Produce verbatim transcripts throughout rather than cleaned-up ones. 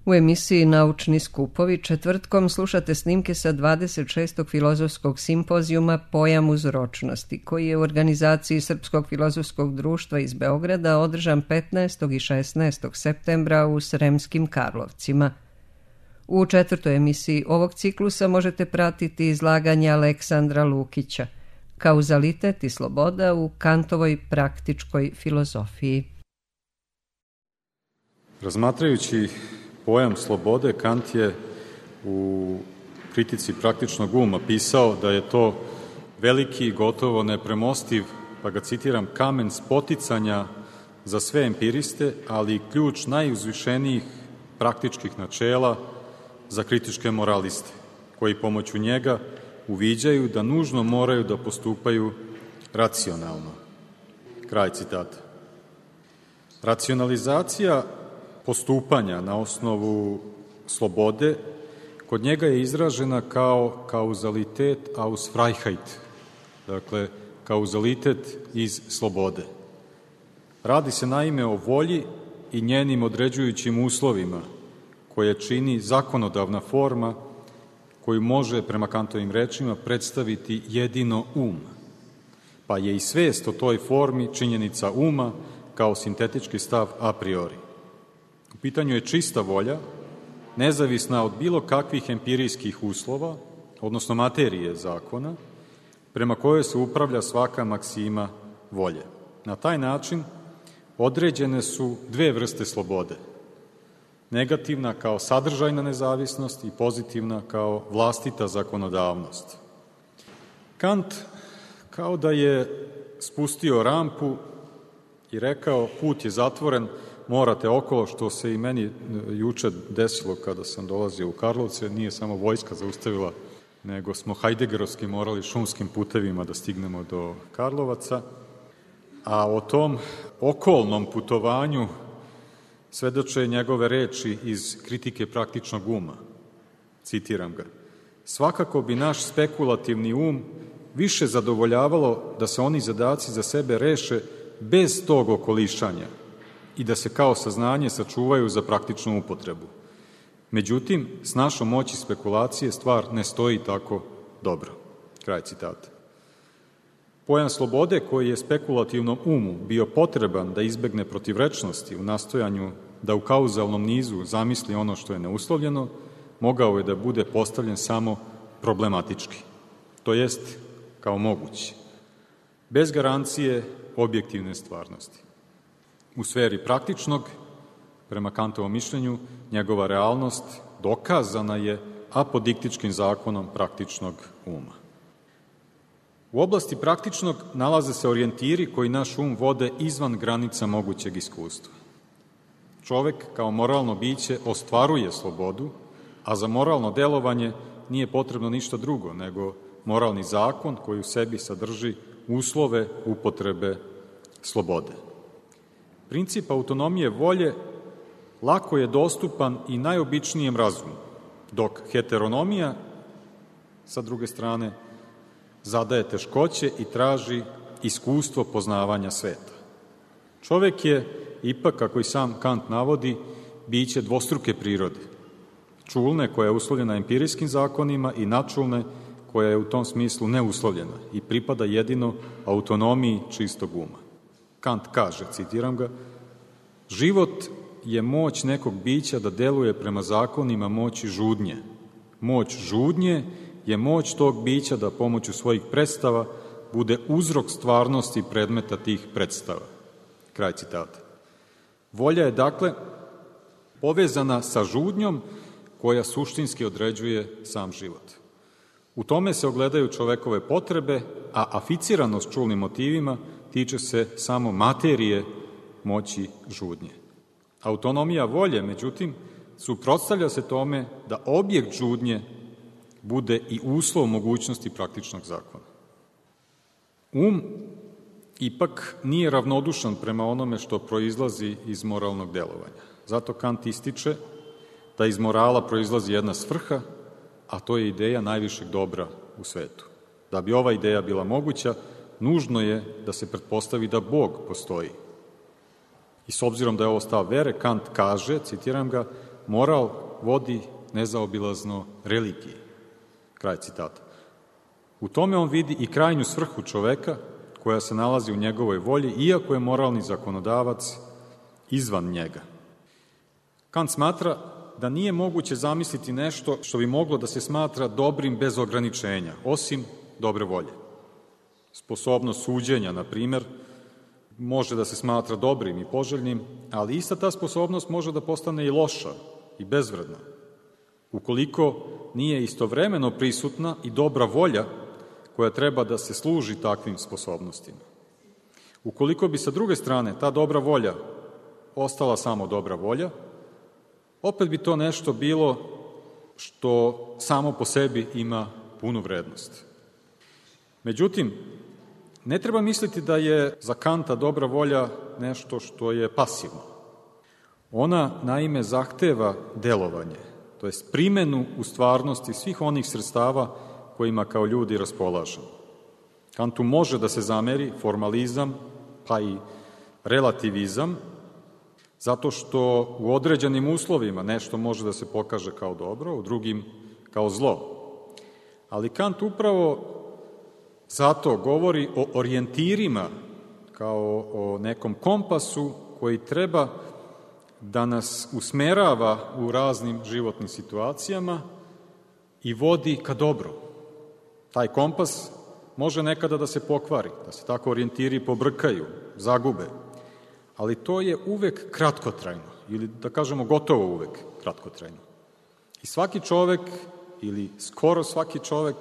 U emisiji Naučni skupovi četvrtkom slušate snimke sa dvadeset šestog filozofskog simpozijuma Pojam uzročnosti, koji je u organizaciji Srpskog filozofskog društva iz Beograda održan petnaestog i šesnaestog septembra u Sremskim Karlovcima. U četvrtoj emisiji ovog ciklusa možete pratiti izlaganje Aleksandra Lukića, Kauzalitet i sloboda u Kantovoj praktičkoj filozofiji. Razmatrajući pojam slobode, Kant je u kritici praktičnog uma pisao da je to veliki, gotovo nepremostiv, pa ga citiram, kamen spoticanja za sve empiriste, ali i ključ najuzvišenijih praktičkih načela za kritičke moraliste, koji pomoću njega uviđaju da nužno moraju da postupaju racionalno. Kraj citata. Racionalizacija postupanja na osnovu slobode kod njega je izražena kao kauzalitet aus Freiheit, dakle kauzalitet iz slobode. Radi se naime o volji i njenim određujućim uslovima koje čini zakonodavna forma koju može, prema Kantovim rečima, predstaviti jedino um, pa je i svest o toj formi činjenica uma kao sintetički stav a priori. U pitanju je čista volja, nezavisna od bilo kakvih empirijskih uslova, odnosno materije zakona, prema kojoj se upravlja svaka maksima volje. Na taj način određene su dve vrste slobode. Negativna kao sadržajna nezavisnost i pozitivna kao vlastita zakonodavnost. Kant kao da je spustio rampu i rekao put je zatvoren, morate okolo, što se i meni juče desilo kada sam dolazio u Karlovce. Nije samo vojska zaustavila, nego smo hajdegerovski morali šumskim putevima da stignemo do Karlovaca. A o tom okolnom putovanju svedoče njegove reči iz kritike praktičnog uma. Citiram ga. Svakako bi naš spekulativni um više zadovoljavalo da se oni zadaci za sebe reše bez tog okolišanja i da se kao saznanje sačuvaju za praktičnu upotrebu. Međutim, s našom moći spekulacije stvar ne stoji tako dobro. Kraj citata. Pojam slobode koji je spekulativnom umu bio potreban da izbegne protivrečnosti u nastojanju da u kauzalnom nizu zamisli ono što je neuslovljeno, mogao je da bude postavljen samo problematički, to jest kao mogući, bez garancije objektivne stvarnosti. U sferi praktičnog, prema Kantovom mišljenju, njegova realnost dokazana je apodiktičkim zakonom praktičnog uma. U oblasti praktičnog nalaze se orijentiri koji naš um vode izvan granica mogućeg iskustva. Čovek kao moralno biće ostvaruje slobodu, a za moralno delovanje nije potrebno ništa drugo nego moralni zakon koji u sebi sadrži uslove upotrebe slobode. Princip autonomije volje lako je dostupan i najobičnijem razumu, dok heteronomija, sa druge strane, zadaje teškoće i traži iskustvo poznavanja sveta. Čovek je, ipak, kako i sam Kant navodi, biće dvostruke prirode. Čulne, koja je uslovljena empirijskim zakonima, i načulne, koja je u tom smislu neuslovljena i pripada jedino autonomiji čistog uma. Kant kaže, citiram ga, život je moć nekog bića da deluje prema zakonima moći žudnje. Moć žudnje je moć tog bića da pomoću svojih predstava bude uzrok stvarnosti predmeta tih predstava. Kraj citata. Volja je, dakle, povezana sa žudnjom koja suštinski određuje sam život. U tome se ogledaju čovekove potrebe, a aficiranost čulnim motivima tiče se samo materije moći žudnje. Autonomija volje, međutim, suprotstavlja se tome da objekt žudnje bude i uslov mogućnosti praktičnog zakona. Um ipak nije ravnodušan prema onome što proizlazi iz moralnog delovanja. Zato Kant ističe da iz morala proizlazi jedna svrha, a to je ideja najvišeg dobra u svetu. Da bi ova ideja bila moguća, nužno je da se pretpostavi da Bog postoji. I s obzirom da je ovo stav vere, Kant kaže, citiram ga, moral vodi nezaobilazno religiji. Kraj citata. U tome on vidi i krajnju svrhu čoveka koja se nalazi u njegovoj volji, iako je moralni zakonodavac izvan njega. Kant smatra da nije moguće zamisliti nešto što bi moglo da se smatra dobrim bez ograničenja, osim dobre volje. Sposobnost suđenja, na primjer, može da se smatra dobrim i poželjnim, ali ista ta sposobnost može da postane i loša i bezvredna, ukoliko nije istovremeno prisutna i dobra volja koja treba da se služi takvim sposobnostima. Ukoliko bi sa druge strane ta dobra volja ostala samo dobra volja, opet bi to nešto bilo što samo po sebi ima punu vrednost. Međutim, ne treba misliti da je za Kanta dobra volja nešto što je pasivno. Ona, naime, zahteva delovanje, to jest primenu u stvarnosti svih onih sredstava kojima kao ljudi raspolažemo. Kantu može da se zameri formalizam, pa i relativizam, zato što u određenim uslovima nešto može da se pokaže kao dobro, u drugim kao zlo. Ali Kant upravo zato govori o orijentirima kao o nekom kompasu koji treba da nas usmerava u raznim životnim situacijama i vodi ka dobru. Taj kompas može nekada da se pokvari, da se tako orijentiri pobrkaju, zagube, ali to je uvek kratkotrajno, ili da kažemo gotovo uvek kratkotrajno. I svaki čovek, ili skoro svaki čovek,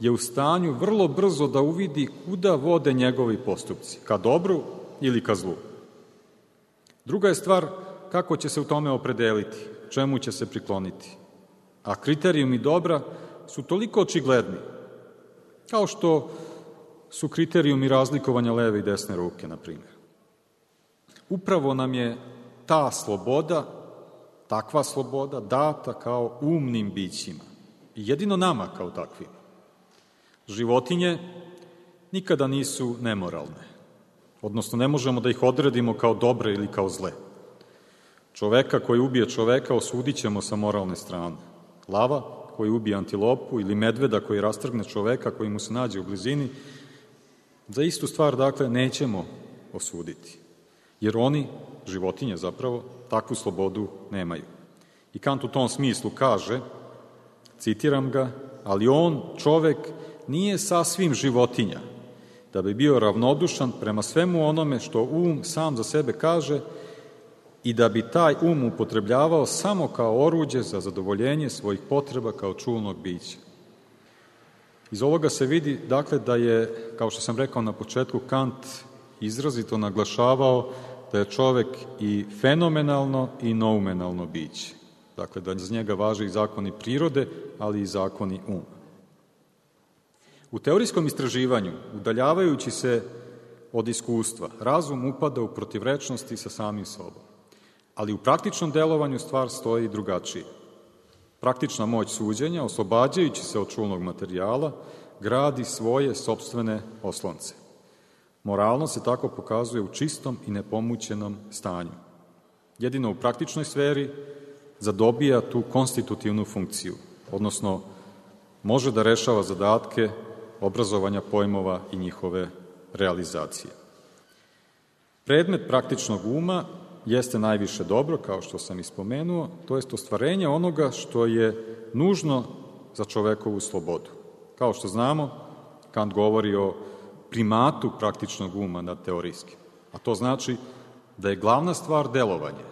je u stanju vrlo brzo da uvidi kuda vode njegovi postupci, ka dobru ili ka zlu. Druga je stvar kako će se u tome opredeliti, čemu će se prikloniti. A kriterijumi dobra su toliko očigledni, kao što su kriterijumi razlikovanja leve i desne ruke, na primjer. Upravo nam je ta sloboda, takva sloboda, data kao umnim bićima. I jedino nama kao takvima. Životinje nikada nisu nemoralne, odnosno ne možemo da ih odredimo kao dobre ili kao zle. Čoveka koji ubije čoveka osudit ćemo sa moralne strane. Lava koji ubije antilopu ili medveda koji rastrgne čoveka koji mu se nađe u blizini, za istu stvar, dakle, nećemo osuditi. Jer oni, životinje zapravo, takvu slobodu nemaju. I Kant u tom smislu kaže, citiram ga, ali on, čovek, nije sasvim životinja, da bi bio ravnodušan prema svemu onome što um sam za sebe kaže i da bi taj um upotrebljavao samo kao oruđe za zadovoljenje svojih potreba kao čulnog bića. Iz ovoga se vidi, dakle, da je, kao što sam rekao na početku, Kant izrazito naglašavao da je čovek i fenomenalno i noumenalno biće. Dakle, da za njega važe i zakoni prirode, ali i zakoni uma. U teorijskom istraživanju, udaljavajući se od iskustva, razum upada u protivrečnosti sa samim sobom. Ali u praktičnom delovanju stvar stoji drugačije. Praktična moć suđenja, oslobađajući se od čulnog materijala, gradi svoje sopstvene oslonce. Moralnost se tako pokazuje u čistom i nepomućenom stanju. Jedino u praktičnoj sferi zadobija tu konstitutivnu funkciju, odnosno može da rešava zadatke obrazovanja pojmova i njihove realizacije. Predmet praktičnog uma jeste najviše dobro, kao što sam ispomenuo, to jest ostvarenje onoga što je nužno za čovekovu slobodu. Kao što znamo, Kant govori o primatu praktičnog uma nad teorijskim, a to znači da je glavna stvar delovanje.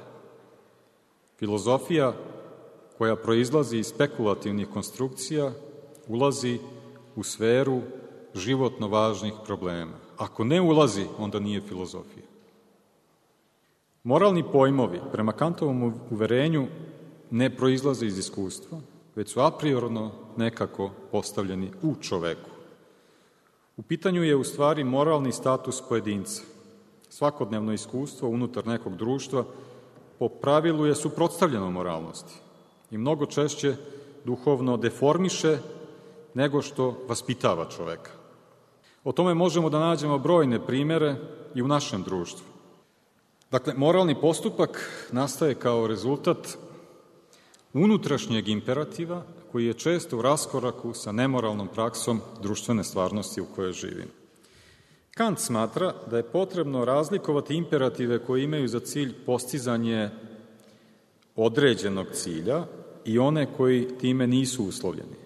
Filozofija koja proizlazi iz spekulativnih konstrukcija ulazi u sferu životno važnih problema. Ako ne ulazi, onda nije filozofija. Moralni pojmovi, prema Kantovom uverenju, ne proizlaze iz iskustva, već su apriorno nekako postavljeni u čoveku. U pitanju je u stvari moralni status pojedinca. Svakodnevno iskustvo unutar nekog društva po pravilu je suprotstavljeno moralnosti i mnogo češće duhovno deformiše nego što vaspitava čoveka. O tome možemo da nađemo brojne primere i u našem društvu. Dakle, moralni postupak nastaje kao rezultat unutrašnjeg imperativa koji je često u raskoraku sa nemoralnom praksom društvene stvarnosti u kojoj živimo. Kant smatra da je potrebno razlikovati imperative koji imaju za cilj postizanje određenog cilja i one koji time nisu uslovljeni.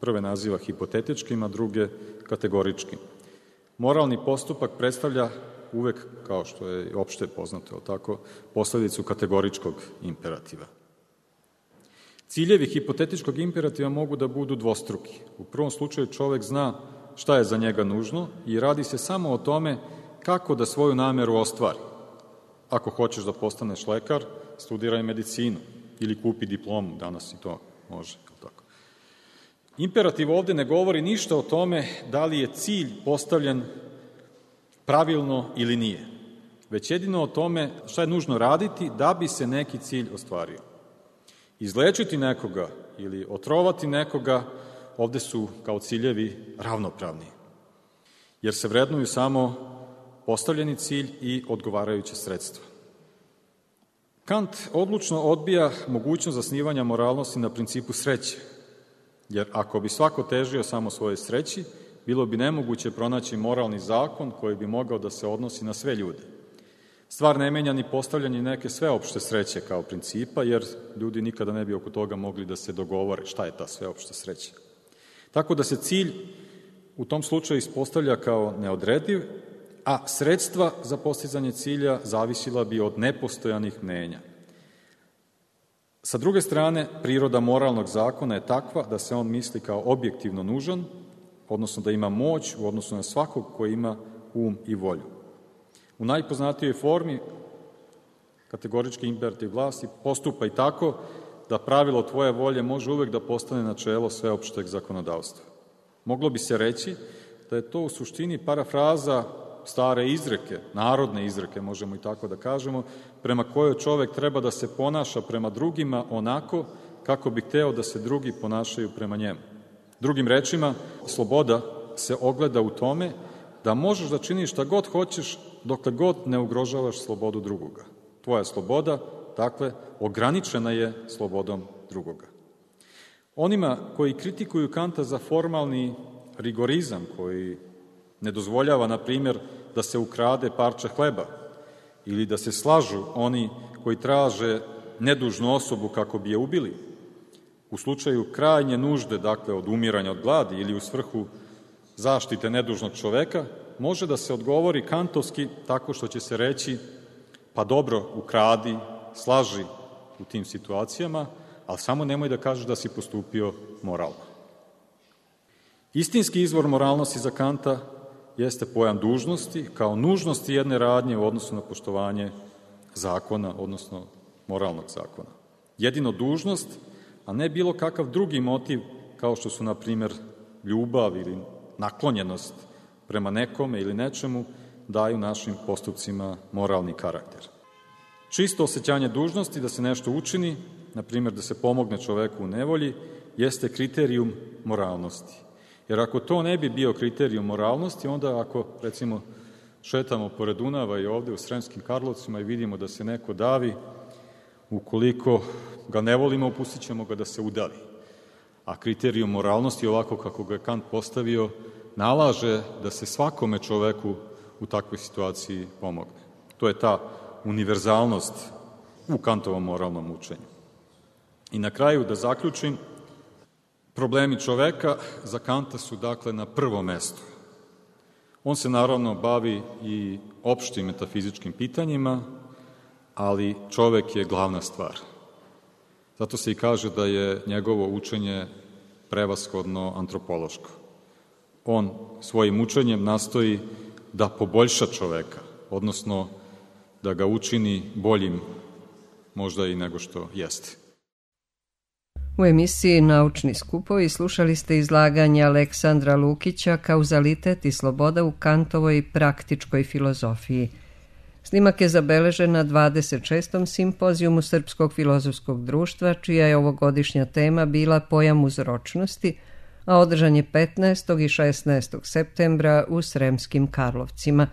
Prve naziva hipotetičkim, a druge kategoričkim. Moralni postupak predstavlja uvek, kao što je opšte poznato, tako, posledicu kategoričkog imperativa. Ciljevi hipotetičkog imperativa mogu da budu dvostruki. U prvom slučaju čovek zna šta je za njega nužno i radi se samo o tome kako da svoju nameru ostvari. Ako hoćeš da postaneš lekar, studiraj medicinu ili kupi diplomu, danas i to može. Tako. Imperativ ovde ne govori ništa o tome da li je cilj postavljen pravilno ili nije, već jedino o tome šta je nužno raditi da bi se neki cilj ostvario. Izlečiti nekoga ili otrovati nekoga ovde su kao ciljevi ravnopravni, jer se vrednuju samo postavljeni cilj i odgovarajuće sredstva. Kant odlučno odbija mogućnost zasnivanja moralnosti na principu sreće, jer ako bi svako težio samo svoje sreći, bilo bi nemoguće pronaći moralni zakon koji bi mogao da se odnosi na sve ljude. Stvar ne menja ni postavljanje neke sveopšte sreće kao principa, jer ljudi nikada ne bi oko toga mogli da se dogovore šta je ta sveopšta sreća. Tako da se cilj u tom slučaju ispostavlja kao neodrediv, a sredstva za postizanje cilja zavisila bi od nepostojanih mnenja. Sa druge strane, priroda moralnog zakona je takva da se on misli kao objektivno nužan, odnosno da ima moć u odnosu na svakog koji ima um i volju. U najpoznatijoj formi kategorički imperativ vlasti postupa i tako da pravilo tvoje volje može uvek da postane načelo sveopšteg zakonodavstva. Moglo bi se reći da je to u suštini parafraza stare izreke, narodne izreke, možemo i tako da kažemo, prema kojoj čovek treba da se ponaša prema drugima onako kako bi hteo da se drugi ponašaju prema njemu. Drugim rečima, sloboda se ogleda u tome da možeš da činiš šta god hoćeš dokle god ne ugrožavaš slobodu drugoga. Tvoja sloboda, dakle, ograničena je slobodom drugoga. Onima koji kritikuju Kanta za formalni rigorizam, koji ne dozvoljava, na primjer, da se ukrade parče hleba ili da se slažu oni koji traže nedužnu osobu kako bi je ubili, u slučaju krajnje nužde, dakle, od umiranja od gladi ili u svrhu zaštite nedužnog čoveka, može da se odgovori kantovski tako što će se reći pa dobro, ukradi, slaži u tim situacijama, ali samo nemoj da kažeš da si postupio moralno. Istinski izvor moralnosti za Kanta jeste pojam dužnosti kao nužnosti jedne radnje u odnosu na poštovanje zakona, odnosno moralnog zakona. Jedino dužnost, a ne bilo kakav drugi motiv, kao što su, na primjer, ljubav ili naklonjenost prema nekome ili nečemu, daju našim postupcima moralni karakter. Čisto osjećanje dužnosti da se nešto učini, na primjer da se pomogne čoveku u nevolji, jeste kriterijum moralnosti. Jer ako to ne bi bio kriterijum moralnosti, onda ako, recimo, šetamo pored Dunava i ovde u Sremskim Karlovcima i vidimo da se neko davi, ukoliko ga ne volimo, pustit ćemo ga da se udavi. A kriterijum moralnosti, ovako kako ga je Kant postavio, nalaže da se svakome čoveku u takvoj situaciji pomogne. To je ta univerzalnost u Kantovom moralnom učenju. I na kraju, da zaključim, problemi čoveka za Kanta su, dakle, na prvom mestu. On se naravno bavi i opštim metafizičkim pitanjima, ali čovek je glavna stvar. Zato se i kaže da je njegovo učenje prevashodno antropološko. On svojim učenjem nastoji da poboljša čoveka, odnosno da ga učini boljim možda i nego što jeste. U emisiji Naučni skupovi slušali ste izlaganje Aleksandra Lukića Kauzalitet i sloboda u Kantovoj praktičkoj filozofiji. Snimak je zabeležen na dvadeset šestom simpozijumu Srpskog filozofskog društva, čija je ovogodišnja tema bila pojam uzročnosti, a održan je petnaestog i šesnaestog septembra u Sremskim Karlovcima.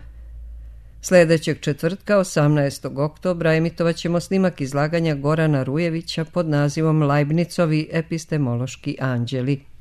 Sljedećeg četvrtka, osamnaestog oktobra, emitovat ćemo snimak izlaganja Gorana Rujevića pod nazivom Leibnizovi epistemološki anđeli.